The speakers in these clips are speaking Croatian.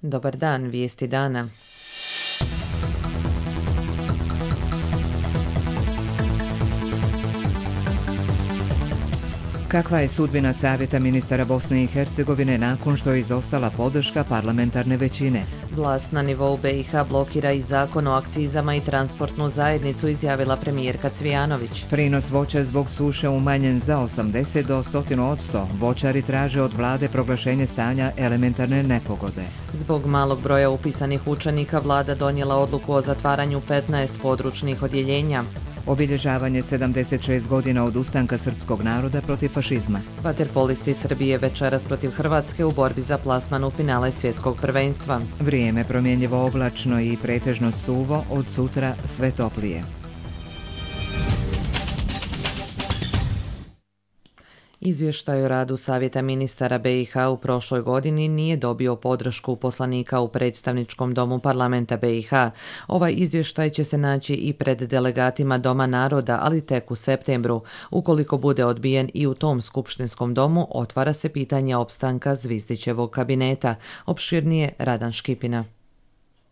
Dobar dan, vijesti dana. Kakva je sudbina Savjeta ministara Bosne i Hercegovine nakon što je izostala podrška parlamentarne većine? Vlast na nivou BiH blokira i zakon o akcizama i transportnu zajednicu, izjavila premijerka Cvijanović. Prinos voća zbog suše umanjen za 80 do 100%. Voćari traže od vlade proglašenje stanja elementarne nepogode. Zbog malog broja upisanih učenika vlada donijela odluku o zatvaranju 15 područnih odjeljenja. Obilježavanje 76 godina od ustanka srpskog naroda protiv fašizma. Vaterpolisti Srbije večeras protiv Hrvatske u borbi za plasman u finale svjetskog prvenstva. Vrijeme promjenjivo oblačno i pretežno suvo, od sutra sve toplije. Izvještaj o radu Savjeta ministara BiH u prošloj godini nije dobio podršku poslanika u predstavničkom domu parlamenta BiH. Ovaj izvještaj će se naći i pred delegatima Doma naroda, ali tek u septembru. Ukoliko bude odbijen i u tom skupštinskom domu, otvara se pitanje opstanka Zvizdićevog kabineta. Opširnije Radan Škipina.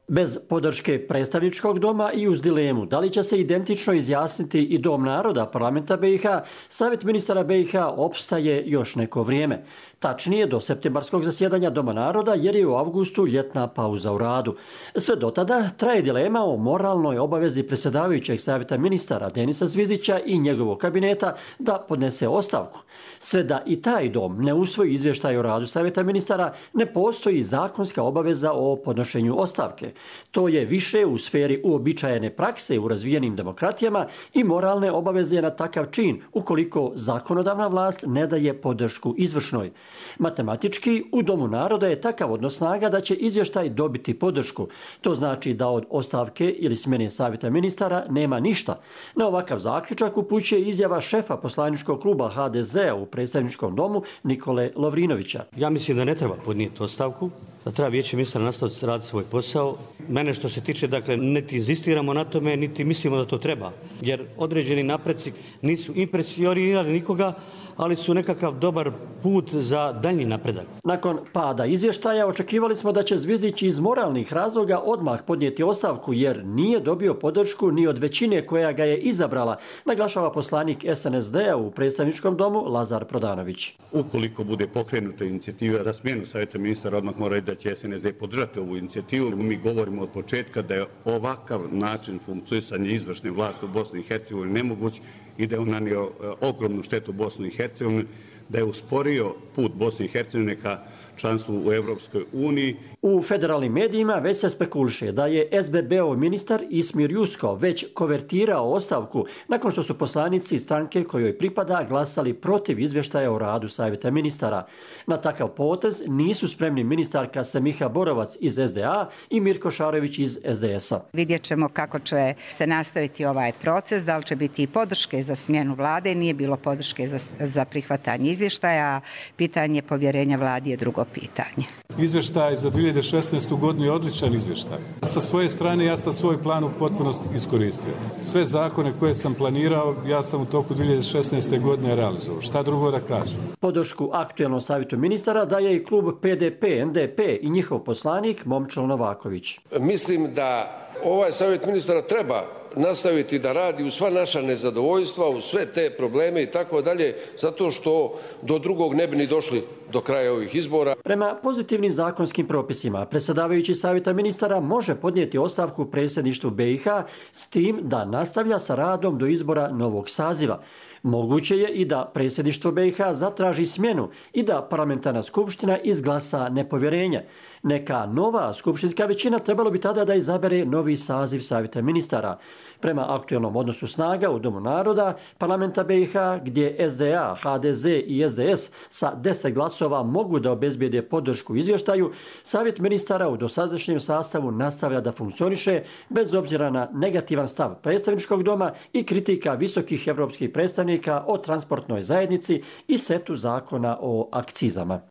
Bez podrške predstavničkog doma i uz dilemu da li će se identično izjasniti i Dom naroda parlamenta BiH, Savjet ministara BiH opstaje još neko vrijeme. Tačnije do septembarskog zasjedanja Doma naroda, jer je u avgustu ljetna pauza u radu. Sve do tada traje dilema o moralnoj obavezi predsjedavajućeg Savjeta ministara Denisa Zvizdića i njegovog kabineta da podnese ostavku. Sve da i taj dom ne usvoji izvještaj o radu Savjeta ministara, ne postoji zakonska obaveza o podnošenju ostavke. To je više u sferi uobičajene prakse u razvijenim demokratijama i moralne obaveze na takav čin, ukoliko zakonodavna vlast ne daje podršku izvršnoj. Matematički, u Domu naroda je takav odnos snaga da će izvještaj dobiti podršku. To znači da od ostavke ili smjene Savjeta ministara nema ništa. Na ovakav zaključak upućuje izjava šefa poslaničkog kluba HDZ-a u predstavničkom domu Nikole Lovrinovića. Ja mislim da ne treba podnijeti ostavku, da treba vijeće ministara nastaviti raditi svoj posao. Mene što se tiče, dakle, niti inzistiramo na tome, niti mislimo da to treba. Jer određeni napreci nisu impresionirali nikoga, ali su nekakav dobar put za daljnji napredak. Nakon pada izvještaja očekivali smo da će Zvizdić iz moralnih razloga odmah podnijeti ostavku, jer nije dobio podršku ni od većine koja ga je izabrala, naglašava poslanik SNSD-a u predstavničkom domu Lazar Prodanović. Ukoliko bude pokrenuta inicijativa za smjenu Savjeta ministara, odmah mora reći da će SNSD podržati ovu inicijativu. Mi govorimo od početka da je ovakav način funkcionisanja izvršne vlasti u Bosni i Hercegovini nemoguć i da je on nanio ogromnu štetu Bosni i Hercegovini, da je usporio put Bosne i Hercegovine ka članstvu u Europskoj uniji. U federalnim medijima već se spekuliše da je SBB-ov ministar Ismir Jusko već konvertirao ostavku nakon što su poslanici stranke kojoj pripada glasali protiv izvještaja o radu Savjeta ministara. Na takav potez nisu spremni ministarka Semiha Borovac iz SDA i Mirko Šarović iz SDS-a. Vidjet ćemo kako će se nastaviti ovaj proces, da li će biti i podrške za smjenu vlade, nije bilo podrške za prihvatanje izvještaja, pitanje povjerenja vladi je drugo pitanje. Izvještaj za 2016. godinu je odličan izvještaj. Sa svoje strane ja sam svoj plan u potpunosti iskoristio. Sve zakone koje sam planirao ja sam u toku 2016. godine realizovao. Šta drugo da kažem? Podršku aktuelnom savjetu ministara daje i klub PDP, NDP i njihov poslanik Momčilo Novaković. Mislim da ovaj savjet ministara treba nastaviti da radi u sva naša nezadovoljstva, u sve te probleme i tako dalje, zato što do drugog ne bi ni došli do kraja ovih izbora. Prema pozitivnim zakonskim propisima, predsjedavajući Savjeta ministara može podnijeti ostavku predsjedništvu BiH s tim da nastavlja sa radom do izbora novog saziva. Moguće je i da predsjedništvo BiH zatraži smjenu i da parlamentarna skupština izglasa nepovjerenje. Neka nova skupštinska većina trebalo bi tada da izabere novi saziv Savjeta ministara. Prema aktualnom odnosu snaga u Domu naroda parlamenta BiH, gdje SDA, HDZ i SDS sa 10 glasova mogu da obezbijede podršku izvještaju, Savjet ministara u dosadašnjem sastavu nastavlja da funkcioniše bez obzira na negativan stav predstavničkog doma i kritika visokih evropskih predstavnika o transportnoj zajednici i setu zakona o akcizama.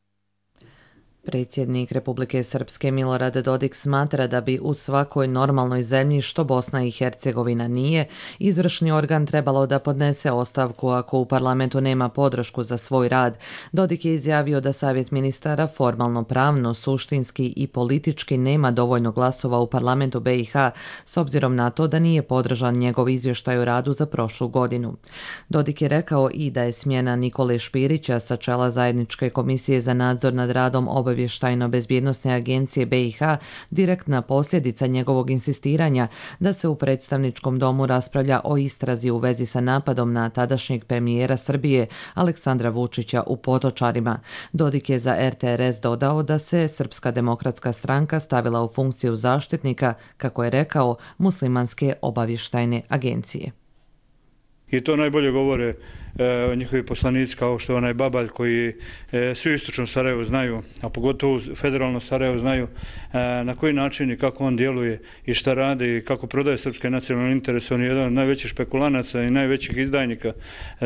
Predsjednik Republike Srpske Milorad Dodik smatra da bi u svakoj normalnoj zemlji, što Bosna i Hercegovina nije, izvršni organ trebalo da podnese ostavku ako u parlamentu nema podršku za svoj rad. Dodik je izjavio da Savjet ministara formalno pravno, suštinski i politički nema dovoljno glasova u parlamentu BiH s obzirom na to da nije podržan njegov izvještaj o radu za prošlu godinu. Dodik je rekao i da je smjena Nikole Špirića sa čela Zajedničke komisije za nadzor nad radom Obavještajno-bezbjednosne agencije BiH direktna posljedica njegovog insistiranja da se u predstavničkom domu raspravlja o istrazi u vezi sa napadom na tadašnjeg premijera Srbije Aleksandra Vučića u Potočarima. Dodik je za RTRS dodao da se Srpska demokratska stranka stavila u funkciju zaštitnika, kako je rekao, muslimanske obavještajne agencije. I to najbolje govore njihovi poslanici kao što je onaj Babalj koji svi u istočnom Sarajevu znaju, a pogotovo federalno Sarajevo znaju na koji način i kako on djeluje i šta radi i kako prodaje srpske nacionalne interese. On je jedan od najvećih špekulanaca i najvećih izdajnika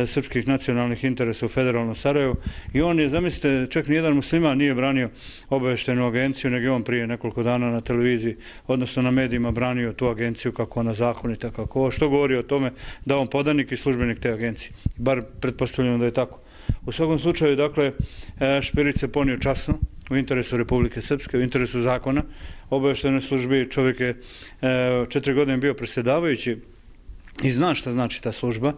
srpskih nacionalnih interesa u federalnom Sarajevu i on je, zamislite, čak nijedan musliman nije branio obavještajnu agenciju, nego je on prije nekoliko dana na televiziji, odnosno na medijima, branio tu agenciju kako ona zakonita, kako ovo, što govori o tome da on podanik i službenik te agencije. Bar pretpostavljamo da je tako. U svakom slučaju, dakle, Špirić se ponio časno u interesu Republike Srpske, u interesu zakona. Obavještajnoj službi čovjek je 4 godine bio predsjedavajući i zna šta znači ta služba.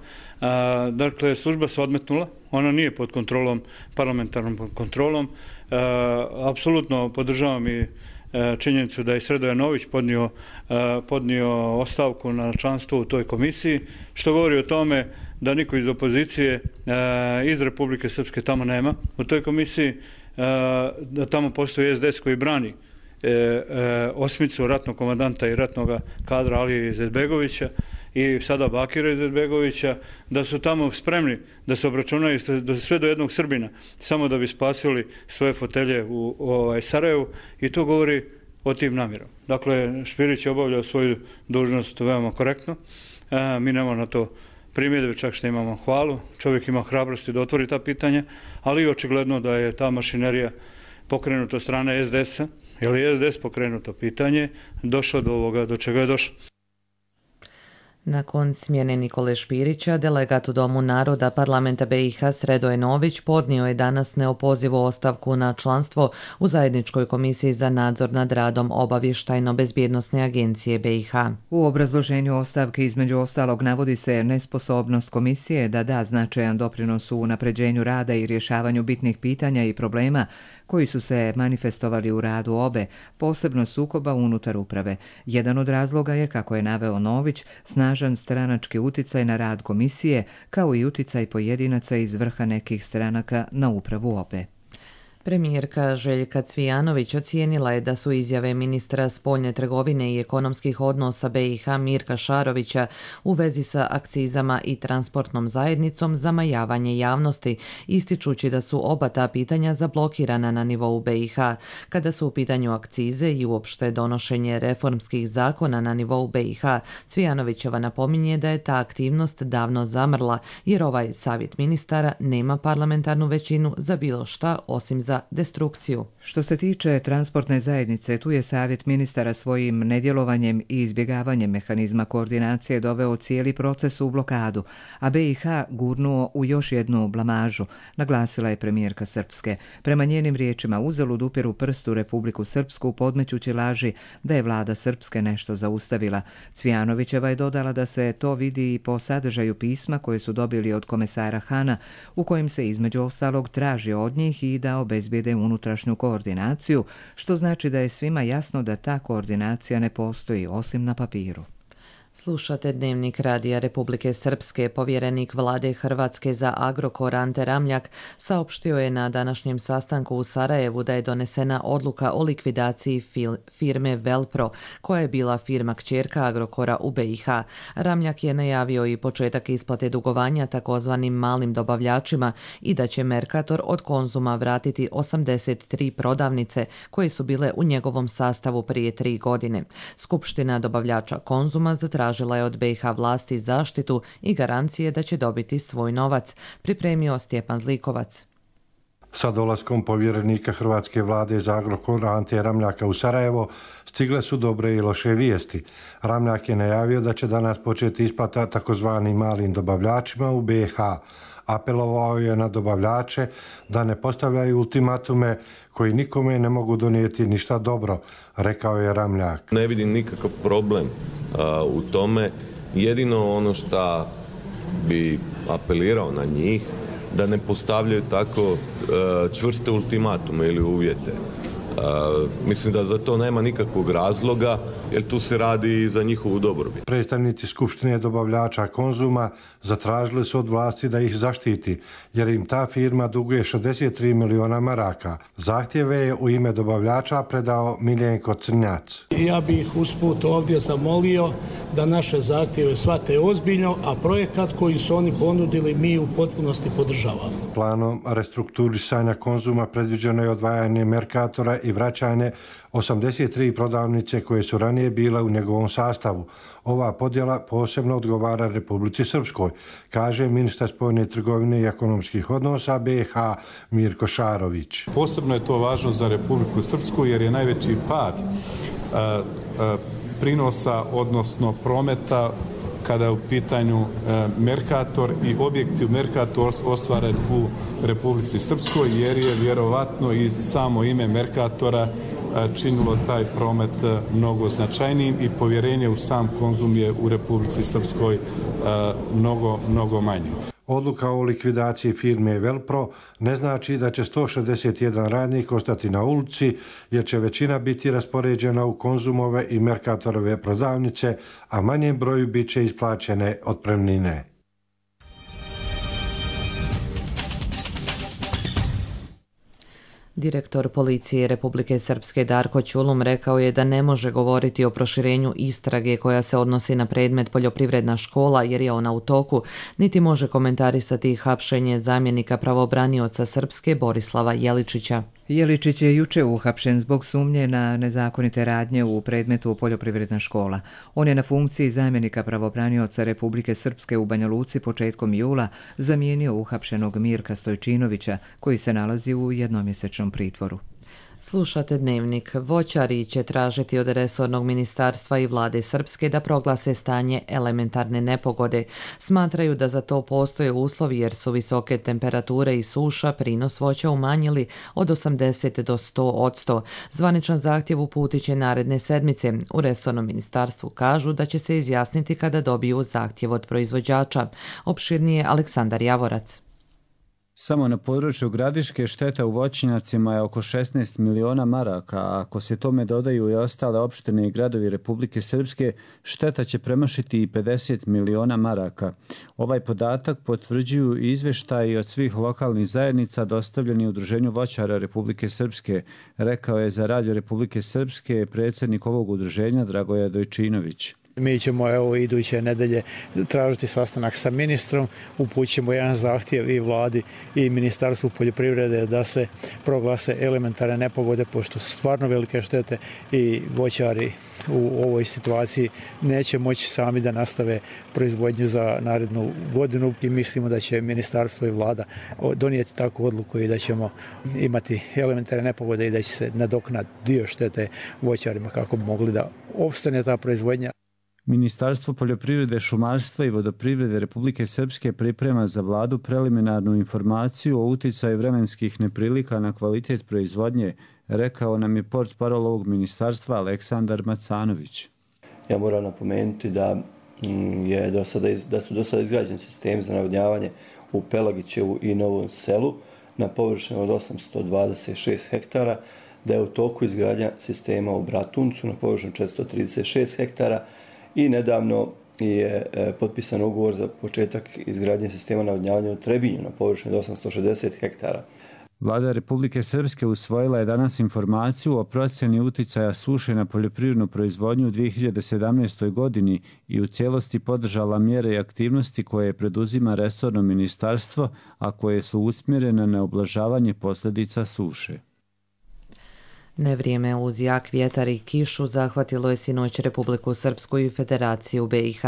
Dakle, služba se odmetnula, ona nije pod kontrolom, parlamentarnom kontrolom. Apsolutno podržavam i činjenicu da je Sredoje Nović podnio ostavku na članstvo u toj komisiji, što govori o tome da niko iz opozicije iz Republike Srpske tamo nema u toj komisiji, da tamo postoji SDS koji brani osmicu ratnog komandanta i ratnog kadra Alije Izetbegovića i sada Bakira Izetbegovića, da su tamo spremni da se obračunaju sve do jednog Srbina, samo da bi spasili svoje fotelje u Sarajevu, i to govori o tim namjerom. Dakle, Špirić je obavljao svoju dužnost veoma korektno, mi nemamo na to primjedbe, čak što imamo hvalu, čovjek ima hrabrosti da otvori ta pitanja, ali i očigledno da je ta mašinerija pokrenuta od strane SDS-a, jer je SDS pokrenuto pitanje, došao do ovoga do čega je došao. Nakon smjene Nikole Špirića, delegat u Domu naroda parlamenta BiH Sredoje Nović podnio je danas neopozivu ostavku na članstvo u Zajedničkoj komisiji za nadzor nad radom Obavještajno-bezbjednosne agencije BiH. U obrazloženju ostavke između ostalog navodi se nesposobnost komisije da da značajan doprinos u unapređenju rada i rješavanju bitnih pitanja i problema koji su se manifestovali u radu obe, posebno sukoba unutar uprave. Jedan od razloga je, kako je naveo Nović, snažan stranački uticaj na rad komisije, kao i uticaj pojedinaca iz vrha nekih stranaka na upravu obe. Premijerka Željka Cvijanović ocijenila je da su izjave ministra spoljne trgovine i ekonomskih odnosa BiH Mirka Šarovića u vezi sa akcizama i transportnom zajednicom zamajavanje javnosti, ističući da su oba ta pitanja zablokirana na nivou BiH. Kada su u pitanju akcize i uopšte donošenje reformskih zakona na nivou BiH, Cvijanovićeva napominje da je ta aktivnost davno zamrla, jer ovaj savjet ministara nema parlamentarnu većinu za bilo šta osim za destrukciju. Što se tiče transportne zajednice, tu je savjet ministara svojim nedjelovanjem i izbjegavanjem mehanizma koordinacije doveo cijeli proces u blokadu, a BiH gurnuo u još jednu blamažu, naglasila je premijerka Srpske. Prema njenim riječima, uzalud upiru prst u Republiku Srpsku podmećući laži da je vlada Srpske nešto zaustavila. Cvijanovićeva je dodala da se to vidi i po sadržaju pisma koje su dobili od komesara Hana, u kojem se između ostalog traži od njih i da obezbijede unutrašnju koordinaciju, što znači da je svima jasno da ta koordinacija ne postoji osim na papiru. Slušate Dnevnik Radija Republike Srpske. Povjerenik vlade Hrvatske za Agrokor Ante Ramljak saopštio je na današnjem sastanku u Sarajevu da je donesena odluka o likvidaciji firme Velpro, koja je bila firma kćerka Agrokora u BiH. Ramljak je najavio i početak isplate dugovanja takozvanim malim dobavljačima i da će Mercator od Konzuma vratiti 83 prodavnice koje su bile u njegovom sastavu prije 3 godine. Skupština dobavljača Konzuma zatražila je od BiH vlasti zaštitu i garancije da će dobiti svoj novac, pripremio Stjepan Zlikovac. Sa dolaskom povjerenika hrvatske vlade za Agrokor Ante Ramljaka u Sarajevo stigle su dobre i loše vijesti. Ramljak je najavio da će danas početi isplata takozvanim malim dobavljačima u BiH. Apelovao je na dobavljače da ne postavljaju ultimatume koji nikome ne mogu donijeti ništa dobro, rekao je Ramljak. Ne vidim nikakav problem u tome. Jedino ono što bi apelirao na njih da ne postavljaju tako čvrste ultimatume ili uvjete. Mislim da za to nema nikakvog razloga, jer tu se radi i za njihovu dobrobit. Predstavnici Skupštine dobavljača Konzuma zatražili su od vlasti da ih zaštiti, jer im ta firma duguje 63 miliona maraka. Zahtjeve je u ime dobavljača predao Miljenko Crnjac. Ja bih usput ovdje zamolio da naše zahtjeve shvate ozbiljno, a projekat koji su oni ponudili mi u potpunosti podržavamo. Planom restrukturisanja Konzuma predviđeno je odvajanje Merkatora i vraćanje 83 prodavnice koje su ranije bile u njegovom sastavu. Ova podjela posebno odgovara Republici Srpskoj, kaže ministar spoljne trgovine i ekonomskih odnosa BiH Mirko Šarović. Posebno je to važno za Republiku Srpsku jer je najveći pad prinosa, odnosno prometa, kada je u pitanju Merkator i objekti u Merkator ostvaren u Republici Srpskoj, jer je vjerovatno i samo ime Merkatora činilo taj promet mnogo značajnijim i povjerenje u sam Konzum je u Republici Srpskoj mnogo manje. Odluka o likvidaciji firme Velpro ne znači da će 161 radnik ostati na ulici, jer će većina biti raspoređena u Konzumove i Merkatorove prodavnice, a manjem broju bit će isplaćene otpremnine. Direktor policije Republike Srpske Darko Ćulum rekao je da ne može govoriti o proširenju istrage koja se odnosi na predmet poljoprivredna škola jer je ona u toku, niti može komentarisati hapšenje zamjenika pravobranioca Srpske Borislava Jeličića. Jeličić je juče uhapšen zbog sumnje na nezakonite radnje u predmetu poljoprivredna škola. On je na funkciji zamjenika pravobranioca Republike Srpske u Banja Luci početkom jula zamijenio uhapšenog Mirka Stojčinovića, koji se nalazi u jednomjesečnom pritvoru. Slušate Dnevnik. Voćari će tražiti od resornog ministarstva i vlade Srpske da proglase stanje elementarne nepogode. Smatraju da za to postoje uslovi jer su visoke temperature i suša prinos voća umanjili od 80 do 100%. Zvaničan zahtjev uputit će naredne sedmice. U resornom ministarstvu kažu da će se izjasniti kada dobiju zahtjev od proizvođača. Opširnije Aleksandar Javorac. Samo na području Gradiške šteta u voćnjacima je oko 16 miliona maraka, a ako se tome dodaju i ostale opštine i gradovi Republike Srpske, šteta će premašiti i 50 miliona maraka. Ovaj podatak potvrđuju i izveštaji od svih lokalnih zajednica dostavljeni Udruženju voćara Republike Srpske, rekao je za Radio Republike Srpske predsjednik ovog udruženja Dragoje Dojčinović. Mi ćemo iduće nedelje tražiti sastanak sa ministrom, upućemo jedan zahtjev i vladi i Ministarstvu poljoprivrede da se proglase elementarne nepogode, pošto su stvarno velike štete i voćari u ovoj situaciji neće moći sami da nastave proizvodnju za narednu godinu i mislimo da će ministarstvo i vlada donijeti takvu odluku i da ćemo imati elementarne nepogode i da će se nadoknaditi dio štete voćarima kako bi mogli da opstane ta proizvodnja. Ministarstvo poljoprivrede, šumarstva i vodoprivrede Republike Srpske priprema za vladu preliminarnu informaciju o uticaju vremenskih neprilika na kvalitet proizvodnje, rekao nam je portparol ovog ministarstva Aleksandar Macanović. Ja moram napomenuti da su do sada izgrađeni sistemi za navodnjavanje u Pelagićevu i Novom Selu na površini od 826 hektara, da je u toku izgradnja sistema u Bratuncu na površini 436 hektara, i nedavno je potpisan ugovor za početak izgradnje sistema navodnjavanja u Trebinju na površini 860 hektara. Vlada Republike Srpske usvojila je danas informaciju o procjeni uticaja suše na poljoprivrednu proizvodnju u 2017. godini i u cijelosti podržala mjere i aktivnosti koje preduzima resorno ministarstvo, a koje su usmjerene na ublažavanje posljedica suše. Nevrijeme uz jak vjetar i kišu zahvatilo je sinoć Republiku Srpsku i Federaciju BiH.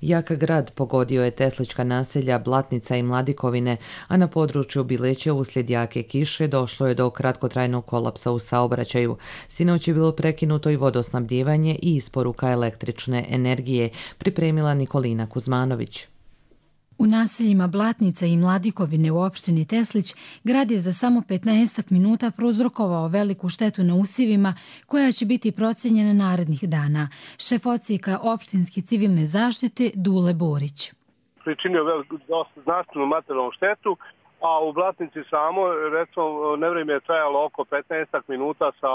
Jak grad pogodio je teslička naselja Blatnica i Mladikovine, a na području Bileće uslijed jake kiše došlo je do kratkotrajnog kolapsa u saobraćaju. Sinoć je bilo prekinuto i vodosnabdijevanje i isporuka električne energije, pripremila Nikolina Kuzmanović. U naseljima Blatnica i Mladikovine u opštini Teslić grad je za samo 15 minuta prouzrokovao veliku štetu na usjevima koja će biti procijenjena narednih dana. Šef odsjeka opštinske civilne zaštite Dule Borić. Pričinio dosta značajnu materijalnu štetu, a u Blatnici samo, recimo, nevrijeme je trajalo oko 15 minuta sa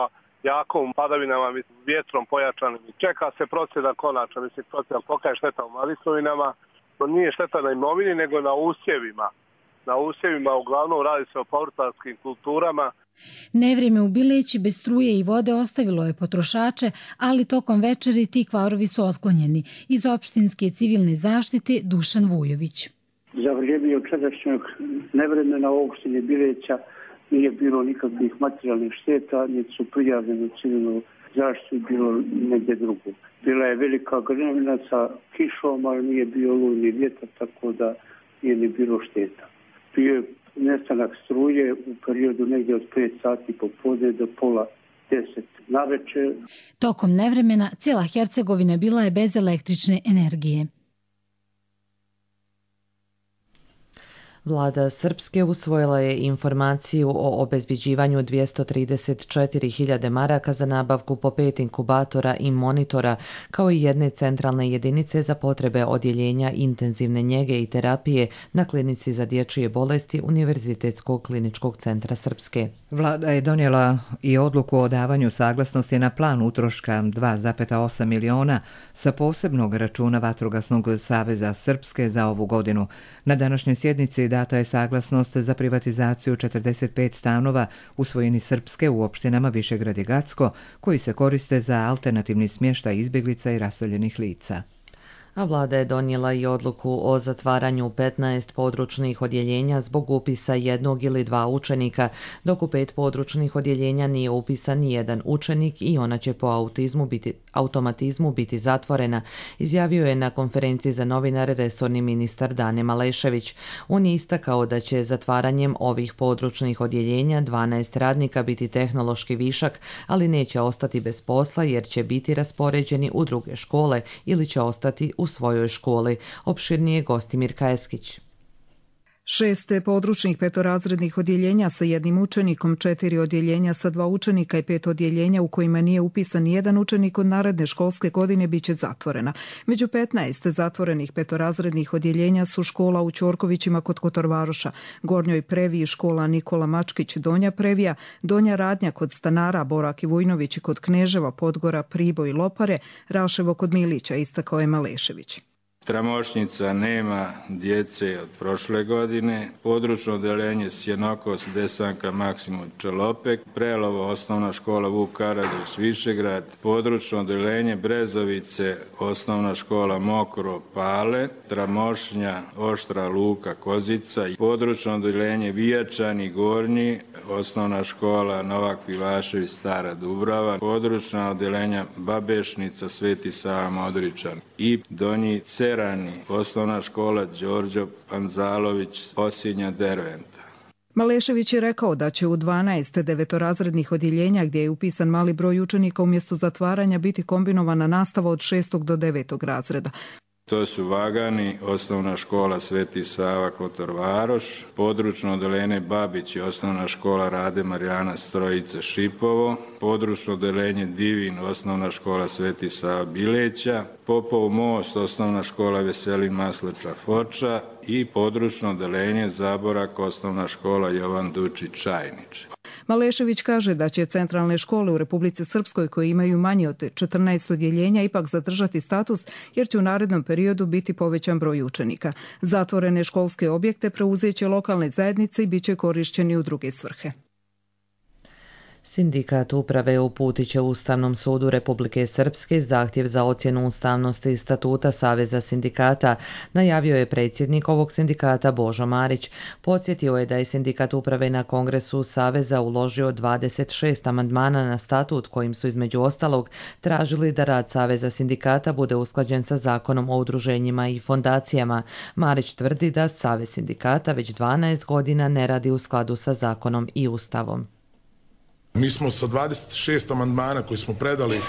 jakom padavinama, vjetrom pojačanim. Čeka se procjena konačna, procjena kolika je šteta u Mladikovinama. To nije šteta na imovini, nego na usjevima. Na usjevima uglavnom radi se o povrtarskim kulturama. Nevrijeme u Bileći bez struje i vode ostavilo je potrošače, ali tokom večeri ti kvarovi su otklonjeni. Iz opštinske civilne zaštite Dušan Vujović. Za vrijeme jučerašnjeg nevremena u opštini Bileća nije bilo nikakvih materijalnih šteta, niti su prijavljeni civilnu zaštitu bilo negdje drugo. Bila je velika grmljavina sa kišom, ali nije bio olujni vjetar, tako da nije ni bilo šteta. Bio je nestanak struje u periodu negdje od 5 sati popodne do pola 10 navečer. Tokom nevremena cijela Hercegovina bila je bez električne energije. Vlada Srpske usvojila je informaciju o obezbeđivanju 234.000 maraka za nabavku po 5 inkubatora i monitora, kao i jedne centralne jedinice za potrebe odjeljenja intenzivne njege i terapije na klinici za dječje bolesti Univerzitetskog kliničkog centra Srpske. Vlada je donijela i odluku o davanju saglasnosti na plan utroška 2,8 miliona sa posebnog računa Vatrogasnog saveza Srpske za ovu godinu. Na današnjoj sjednici data je saglasnost za privatizaciju 45 stanova u svojini Srpske u opštinama Višegrad i Gacko, koji se koriste za alternativni smještaj izbjeglica i raseljenih lica. A vlada je donijela i odluku o zatvaranju 15 područnih odjeljenja zbog upisa jednog ili dva učenika, dok u 5 područnih odjeljenja nije upisan ni jedan učenik i ona će po automatizmu biti zatvorena, izjavio je na konferenciji za novinare resorni ministar Dane Malešević. On je istakao da će zatvaranjem ovih područnih odjeljenja 12 radnika biti tehnološki višak, ali neće ostati bez posla jer će biti raspoređeni u druge škole ili će ostati u svojoj školi. Opširnije Gostimir Kajeskić. 6 područnih petorazrednih odjeljenja sa jednim učenikom, 4 odjeljenja sa 2 učenika i 5 odjeljenja u kojima nije upisan nijedan učenik od naredne školske godine biće zatvorena. Među 15 zatvorenih petorazrednih odjeljenja su škola u Ćorkovićima kod Kotorvaroša, Gornjoj Previji škola Nikola Mačkić, Donja Previja, Donja Radnja kod Stanara, Borak i Vujnović kod Kneževa, Podgora, Priboj i Lopare, Raševo kod Milića, istakao je Malešević. Tramošnica nema djece od prošle godine, područno odeljenje Sjenokos, Desanka, Maksimum, Čelopek, Prelovo, osnovna škola Vuk Karadžić, Višegrad, područno odeljenje Brezovice, osnovna škola Mokro, Pale, Tramošnja, Oštra, Luka, Kozica, područno odeljenje Vijačani, Gornji, osnovna škola Novak Pivašević, Stara Dubrava, područna odeljenja Babešnica, Sveti Sava, Modričan i Donji Cerani, osnovna škola Đorđo Panzalović, Osinja, Derventa. Malešević je rekao da će u 12 devetorazrednih odjeljenja gdje je upisan mali broj učenika umjesto zatvaranja biti kombinovana nastava od 6. do 9. razreda. To su Vagani, osnovna škola Sveti Sava, Kotorvaroš, područno odeljenje Babić i osnovna škola Rade Marijana Strojice, Šipovo, područno odeljenje Divin, osnovna škola Sveti Sava, Bileća, Popov Most, osnovna škola Veselin Masleča, Foča i područno odeljenje Zaborak, osnovna škola Jovan Dučić, Čajnić. Malešević kaže da će centralne škole u Republici Srpskoj koje imaju manje od 14 odjeljenja ipak zadržati status jer će u narednom periodu biti povećan broj učenika. Zatvorene školske objekte preuzeće lokalne zajednice i bit će korišćeni u druge svrhe. Sindikat uprave uputit će Ustavnom sudu Republike Srpske zahtjev za ocjenu ustavnosti statuta Saveza sindikata, najavio je predsjednik ovog sindikata Božo Marić. Podsjetio je da je sindikat uprave na kongresu Saveza uložio 26 amandmana na statut kojim su između ostalog tražili da rad Saveza sindikata bude usklađen sa zakonom o udruženjima i fondacijama. Marić tvrdi da Savez sindikata već 12 godina ne radi u skladu sa zakonom i Ustavom. Mi smo sa 26 amandmana koji smo predali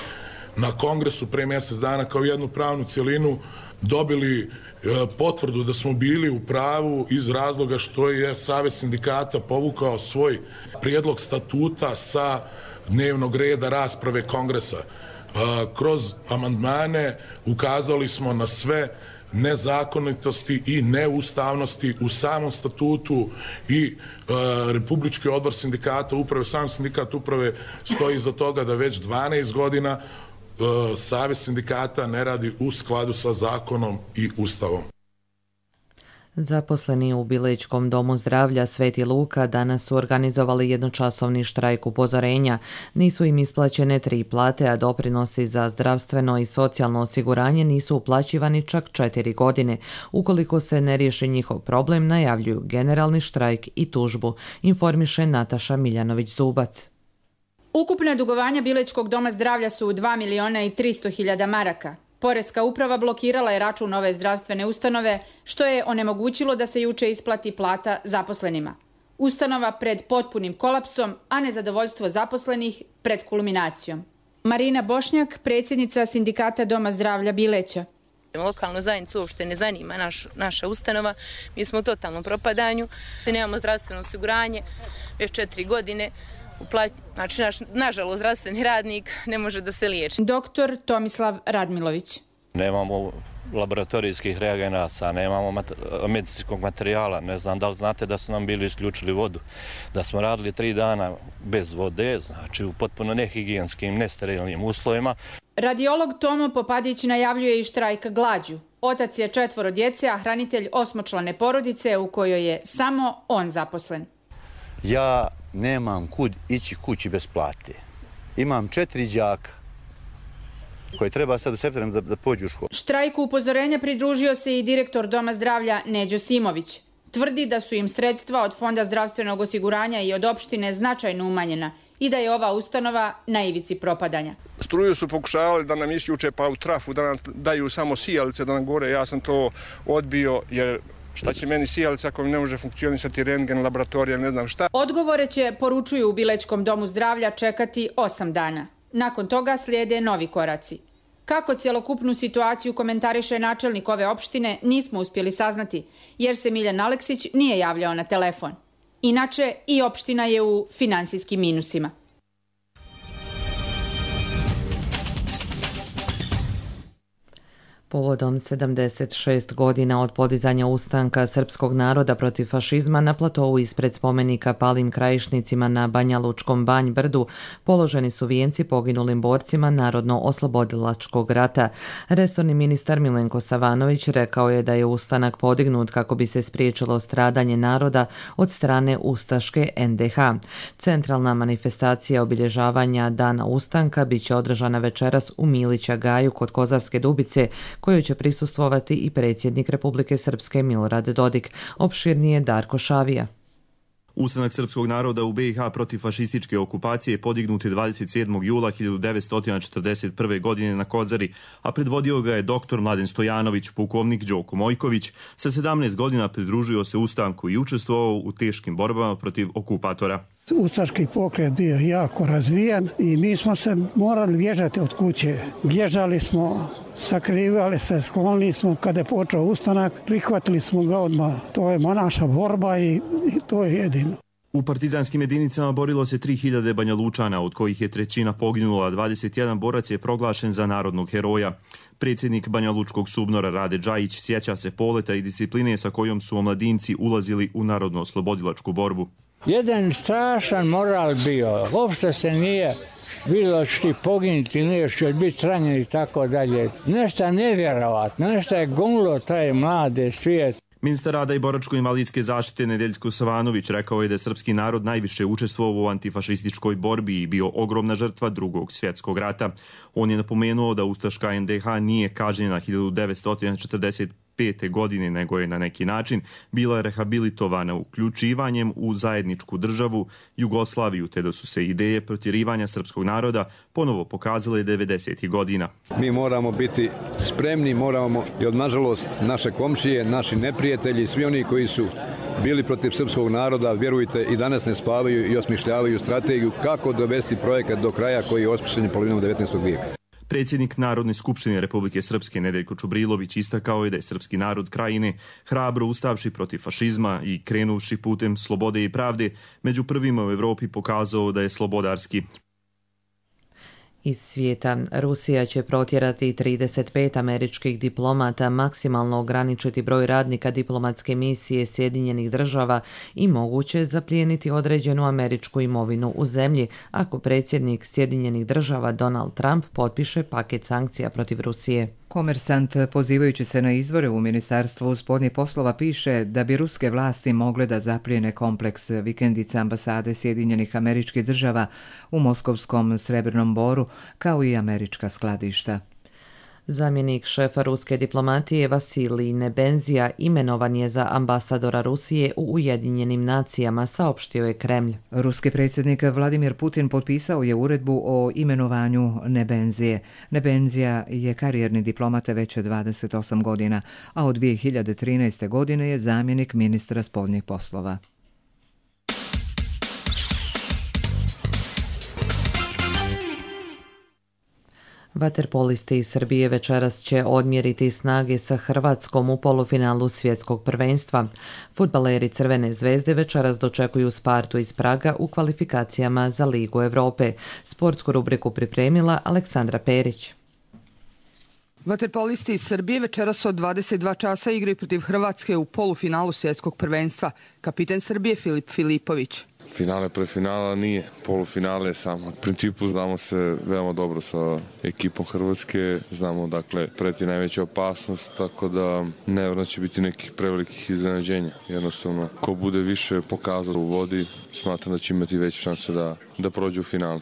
na kongresu pre mjesec dana kao jednu pravnu cjelinu dobili potvrdu da smo bili u pravu iz razloga što je Savez sindikata povukao svoj prijedlog statuta sa dnevnog reda rasprave kongresa. Kroz amandmane ukazali smo na sve nezakonitosti i neustavnosti u samom statutu i Republički odbor sindikata uprave, sam sindikat uprave stoji iza toga da već 12 godina Savez sindikata ne radi u skladu sa zakonom i Ustavom. Zaposleni u Bilećkom domu zdravlja Sveti Luka danas su organizovali jednočasovni štrajk upozorenja. Nisu im isplaćene 3 plate, a doprinosi za zdravstveno i socijalno osiguranje nisu uplaćivani čak 4 godine. Ukoliko se ne riješi njihov problem, najavljuju generalni štrajk i tužbu, informiše Nataša Miljanović-Zubac. Ukupna dugovanja Bilećkog doma zdravlja su 2.300.000 maraka. Poreska uprava blokirala je račun ove zdravstvene ustanove, što je onemogućilo da se juče isplati plata zaposlenima. Ustanova pred potpunim kolapsom, a nezadovoljstvo zaposlenih pred kulminacijom. Marina Bošnjak, predsjednica sindikata Doma zdravlja Bileća. Lokalnu zajednicu uopšte ne zanima naša ustanova. Mi smo u totalnom propadanju. Nemamo zdravstveno osiguranje već 4 godine. Znači, nažalost, zdravstveni radnik ne može da se liječi. Doktor Tomislav Radmilović. Nemamo laboratorijskih reagenasa, nemamo medicinskog materijala. Ne znam da li znate da su nam bili isključili vodu. Da smo radili 3 dana bez vode, znači u potpuno nehigijenskim, nesterilnim uslovima. Radiolog Tomo Popadić najavljuje i štrajk glađu. Otac je 4 djece, a hranitelj 8-člane porodice u kojoj je samo on zaposlen. Ja nemam kud ići kući bez plate. Imam 4 đaka koji treba sad u septembru da pođu u školu. Štrajku upozorenja pridružio se i direktor Doma zdravlja Neđo Simović. Tvrdi da su im sredstva od Fonda zdravstvenog osiguranja i od opštine značajno umanjena i da je ova ustanova na ivici propadanja. Struju su pokušavali da nam isključe pa u trafu, da nam daju samo sijalice da nam gore. Ja sam to odbio jer šta će meni sijalica ako mi ne može funkcionisati rentgen, laboratorija, ne znam šta. Odgovore će, poručuju u Bilećkom domu zdravlja, čekati 8 dana. Nakon toga slijede novi koraci. Kako cjelokupnu situaciju komentariše načelnik ove opštine, nismo uspjeli saznati, jer se Miljan Aleksić nije javljao na telefon. Inače, i opština je u finansijskim minusima. Povodom 76 godina od podizanja ustanka srpskog naroda protiv fašizma na platovu ispred spomenika palim krajišnicima na Banja Lučkom Banj Brdu položeni su vijenci poginulim borcima Narodno-oslobodilačkog rata. Resorni ministar Milenko Savanović rekao je da je ustanak podignut kako bi se spriječilo stradanje naroda od strane ustaške NDH. Centralna manifestacija obilježavanja Dana ustanka biće održana večeras u Milića Gaju kod Kozarske Dubice, kojoj će prisustvovati i predsjednik Republike Srpske Milorad Dodik. Opširnije Darko Šavija. Ustanak srpskog naroda u BiH protiv fašističke okupacije podignut je 27. jula 1941. godine na Kozari, a predvodio ga je doktor Mladen Stojanović, pukovnik Đoko Mojković. Sa 17 godina pridružio se ustanku i učestvovao u teškim borbama protiv okupatora. Ustaški pokret bio jako razvijan i mi smo se morali bježati od kuće. Bježali smo, sakrivali se, sklonili smo. Kada je počeo ustanak, prihvatili smo ga odmah. To je naša borba i to je jedino. U partizanskim jedinicama borilo se 3000 Banja Lučana, od kojih je 1/3 poginula, 21 borac je proglašen za narodnog heroja. Predsjednik Banja Lučkog SUBNOR-a Rade Džajić sjeća se poleta i discipline sa kojom su omladinci ulazili u narodno-oslobodilačku borbu. Jedan strašan moral bio, uopšte se nije bilo što poginuti, nije što biti ranjen i tako dalje. Nešto nevjerovatno, nešto je gonilo taj mlade svijet. Ministar rada i boračko-invalidske zaštite Nedeljko Savanović rekao je da je srpski narod najviše učestvovao u antifašističkoj borbi i bio ogromna žrtva Drugog svjetskog rata. On je napomenuo da ustaška NDH nije kažnjena 1945. godine, nego je na neki način bila rehabilitovana uključivanjem u zajedničku državu Jugoslaviju, te da su se ideje protjerivanja srpskog naroda ponovo pokazale 90. godina. Mi moramo biti spremni, moramo i od nažalost naše komšije, naši neprijatelji, svi oni koji su bili protiv srpskog naroda, vjerujte, i danas ne spavaju i osmišljavaju strategiju kako dovesti projekat do kraja koji je osmišljen polovinom 19. vijeka. Predsjednik Narodne skupštine Republike Srpske Nedeljko Čubrilović istakao je da je srpski narod krajine hrabro ustavši protiv fašizma i krenuvši putem slobode i pravde među prvima u Evropi pokazao da je slobodarski. Iz svijeta, Rusija će protjerati 35 američkih diplomata, maksimalno ograničiti broj radnika diplomatske misije Sjedinjenih država i moguće zaplijeniti određenu američku imovinu u zemlji ako predsjednik Sjedinjenih država Donald Trump potpiše paket sankcija protiv Rusije. Komersant, pozivajući se na izvore u Ministarstvu spoljnih poslova, piše da bi ruske vlasti mogle da zaplijene kompleks vikendica ambasade Sjedinjenih Američkih Država u Moskovskom Srebrnom Boru, kao i američka skladišta. Zamjenik šefa ruske diplomatije Vasilij Nebenzija imenovan je za ambasadora Rusije u Ujedinjenim nacijama, saopštio je Kremlj. Ruski predsjednik Vladimir Putin potpisao je uredbu o imenovanju Nebenzije. Nebenzija je karijerni diplomat već 28 godina, a od 2013. godine je zamjenik ministra spoljnih poslova. Vaterpolisti iz Srbije večeras će odmjeriti snage sa Hrvatskom u polufinalu svjetskog prvenstva. Fudbaleri Crvene zvezde večeras dočekuju Spartu iz Praga u kvalifikacijama za Ligu Evrope. Sportsku rubriku pripremila Aleksandra Perić. Vaterpolisti iz Srbije večeras od 22 časa igraju protiv Hrvatske u polufinalu svjetskog prvenstva. Kapiten Srbije Filip Filipović. Finale pre finala nije, polufinale je samo. U principu znamo se veoma dobro sa ekipom Hrvatske, znamo dakle preti najveća opasnost, tako da nevjerojatno će biti nekih prevelikih iznenađenja. Jednostavno, ko bude više pokazao u vodi, smatram da će imati veće šanse da prođe u finale.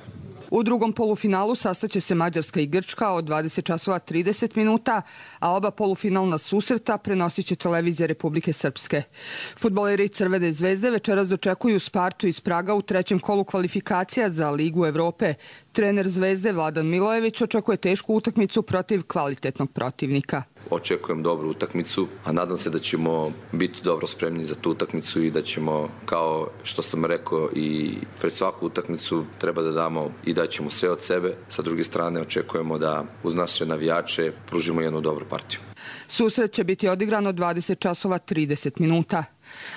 U drugom polufinalu sastaće se Mađarska i Grčka od 20 časova 30 minuta, a oba polufinalna susreta prenosit će televizija Republike Srpske. Fudbaleri Crvene zvezde večeras dočekuju Spartu iz Praga u trećem kolu kvalifikacija za Ligu Evrope. Trener Zvezde Vladan Milojević očekuje tešku utakmicu protiv kvalitetnog protivnika. Očekujem dobru utakmicu, a nadam se da ćemo biti dobro spremni za tu utakmicu i da ćemo, kao što sam rekao, i pred svaku utakmicu treba da damo i da ćemo sve od sebe. Sa druge strane očekujemo da uz naše navijače pružimo jednu dobru partiju. Susret će biti odigran od 20 časova 30 minuta.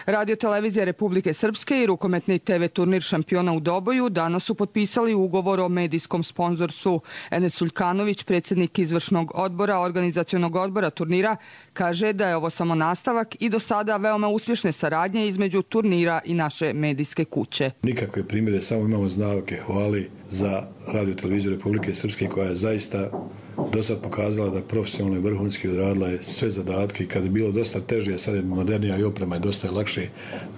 Radio televizija Republike Srpske i rukometni TV turnir šampiona u Doboju danas su potpisali ugovor o medijskom sponzorstvu. Enes Suljkanović, predsjednik izvršnog odbora organizacionog odbora turnira, kaže da je ovo samo nastavak i do sada veoma uspješne saradnje između turnira i naše medijske kuće. Nikakve primjere, samo imamo znake hvali za Radio televiziju Republike Srpske koja je zaista do sad pokazala da profesionalno i vrhunski odradila je sve zadatke i kad je bilo dosta teže, sad je modernija i oprema je dosta lakše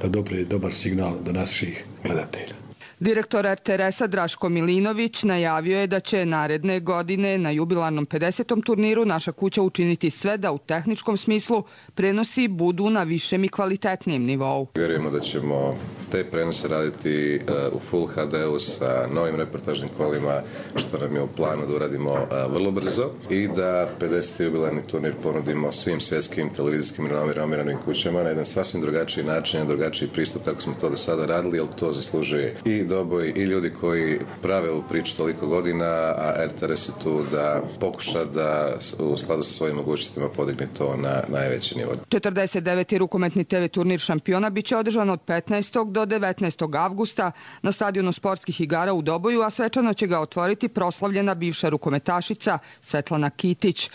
da doprije dobar signal do naših gledatelja. Direktor RTS-a Draško Milinović najavio je da će naredne godine na jubilarnom 50. turniru naša kuća učiniti sve da u tehničkom smislu prenosi budu na višem i kvalitetnijem nivou. Vjerujemo da ćemo te prenose raditi u Full HD-u sa novim reportažnim kolima, što nam je u planu da uradimo vrlo brzo i da 50. jubilarni turnir ponudimo svim svjetskim televizijskim renomiranim kućama na jedan sasvim drugačiji način, jedan drugačiji pristup kako smo to do sada radili, jer to zaslužuje i Doboj i ljudi koji prave ovu priču toliko godina, a RTS je tu da pokuša da u skladu sa svojim mogućnostima podigne to na najveći nivo. 49. rukometni TV turnir šampiona biće održan od 15. do 19. avgusta na stadionu sportskih igara u Doboju, a svečano će ga otvoriti proslavljena bivša rukometašica Svetlana Kitić.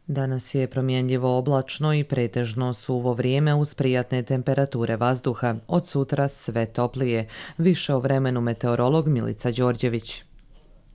Danas je promjenljivo oblačno i pretežno suvo vrijeme uz prijatne temperature vazduha. Od sutra sve toplije. Više o vremenu meteorolog Milica Đorđević.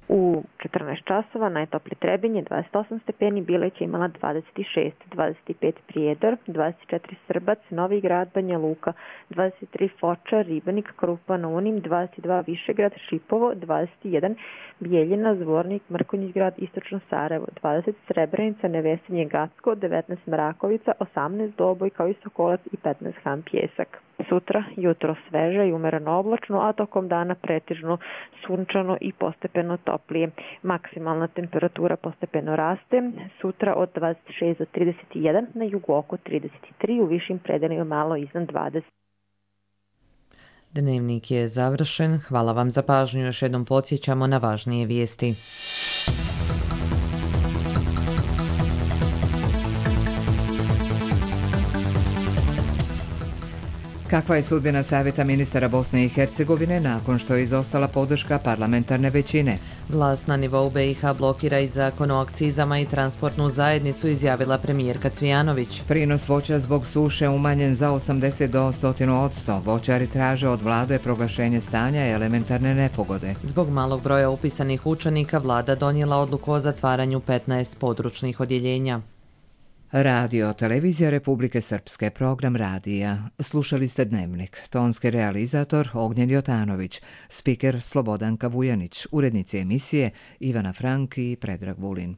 U u 14 časova, najtoplije Trebinje 28 stepeni, Bileć je imala 26, 25 Prijedor, 24 Srbac, Novi Grad, Banja Luka, 23 Foča, Ribanik, Krupa na Unim, 22 Višegrad, Šipovo, 21 Bijeljina, Zvornik, Mrkonjić Grad, Istočno Sarajevo, 20 Srebrenica, Nevesinje, Gacko, 19 Mrakovica, 18 Doboj kao i Sokolac i 15 Han Pjesak. Sutra jutro sveže i umereno oblačno, a tokom dana pretežno sunčano i postepeno toplije. Maksimalna temperatura postepeno raste. Sutra od 26 do 31, na jugu oko 33, u višim predelima malo iznad 20. Dnevnik je završen. Hvala vam za pažnju. Još jednom podsjećamo na važnije vijesti. Kakva je sudbina Savjeta ministara Bosne i Hercegovine nakon što je izostala podrška parlamentarne većine? Vlast na nivou BiH blokira i zakon o akcizama i transportnu zajednicu, izjavila premijerka Cvijanović. Prinos voća zbog suše umanjen za 80 do 100%. Voćari traže od vlade proglašenje stanja elementarne nepogode. Zbog malog broja upisanih učenika vlada donijela odluku o zatvaranju 15 područnih odjeljenja. Radio Televizija Republike Srpske, program radija. Slušali ste Dnevnik. Tonski realizator Ognjen Jotanović, spiker Slobodanka Vujanić, urednici emisije Ivana Frank i Predrag Vulin.